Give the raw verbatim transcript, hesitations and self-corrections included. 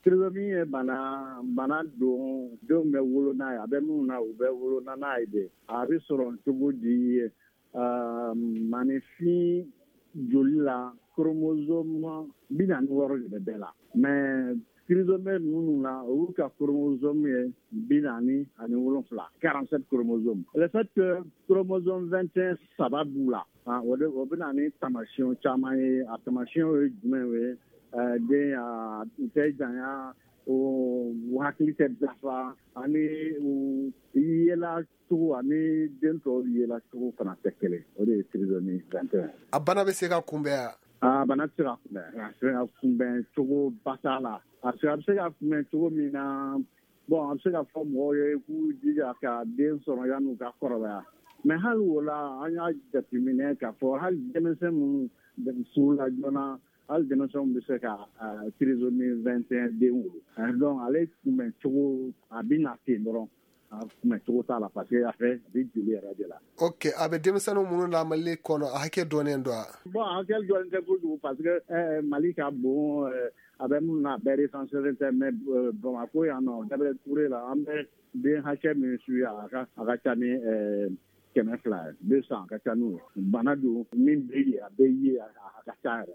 Trisomie ye bana bana don, denw bɛ wolo n'a ye. A bɛ minnu na, u bɛ wolo n'a ye de. A bɛ sɔrɔ cogo di? Maninfin joli la, chromosome bi naani wɔɔrɔ de bɛ bɛɛ la, mais trisomie minnu na, olu ka chromosome ye bi naani ani wolonfila, quarante-sept chromosome. Le fait que chromosome vingt et un saba b'u la, o de o bɛ na ni taamasiyɛnw caman ye. A taamasiyɛnw ye jumɛn ye? Den u tɛ janya, u hakili tɛ dafa, ani u yela cogo ani den tɔw yela cogo fana tɛ kelen. O de ye trisomie vingt et un. A bana bɛ se ka kunbɛn wa? A bana tɛ se ka kunbɛn. A se ka kunbɛn cogo ba t'a la, parce que a bɛ se ka kunbɛn cogo min na, bon, a bɛ se ka fɔ mɔgɔw ye k'u jija ka den sɔrɔ yan'u ka kɔrɔbaya. Mais hali o la, an y'a jateminɛ k'a fɔ hali denmisɛn minnu furula joona, hali denmisɛnw bɛ se ka trisomie vingt et un den wolo. Donc ale kunbɛn cogo, a bɛ na ten dɔrɔn, a kunbɛn cogo t'a la, parce que a fɛ a bɛ joli yɛrɛ de la. Ok, a bɛ denmisɛnnin minnu na Mali kɔnɔ, a hakɛ dɔnnen don wa? Bon, a hakɛ dɔnnen tɛ kojugu, parce que ɛɛ Mali ka bon. A bɛ minnu na, a bɛɛ recensé tɛ, mais Bamakɔ yan nɔ, Gabriel Touré la, an bɛ den hakɛ min suit, a ka a ka ca ni kɛmɛ fila ye, deux cents, a ka ca n'o ye. Bana don min bɛ yen, a bɛ ye, a ka ca yɛrɛ.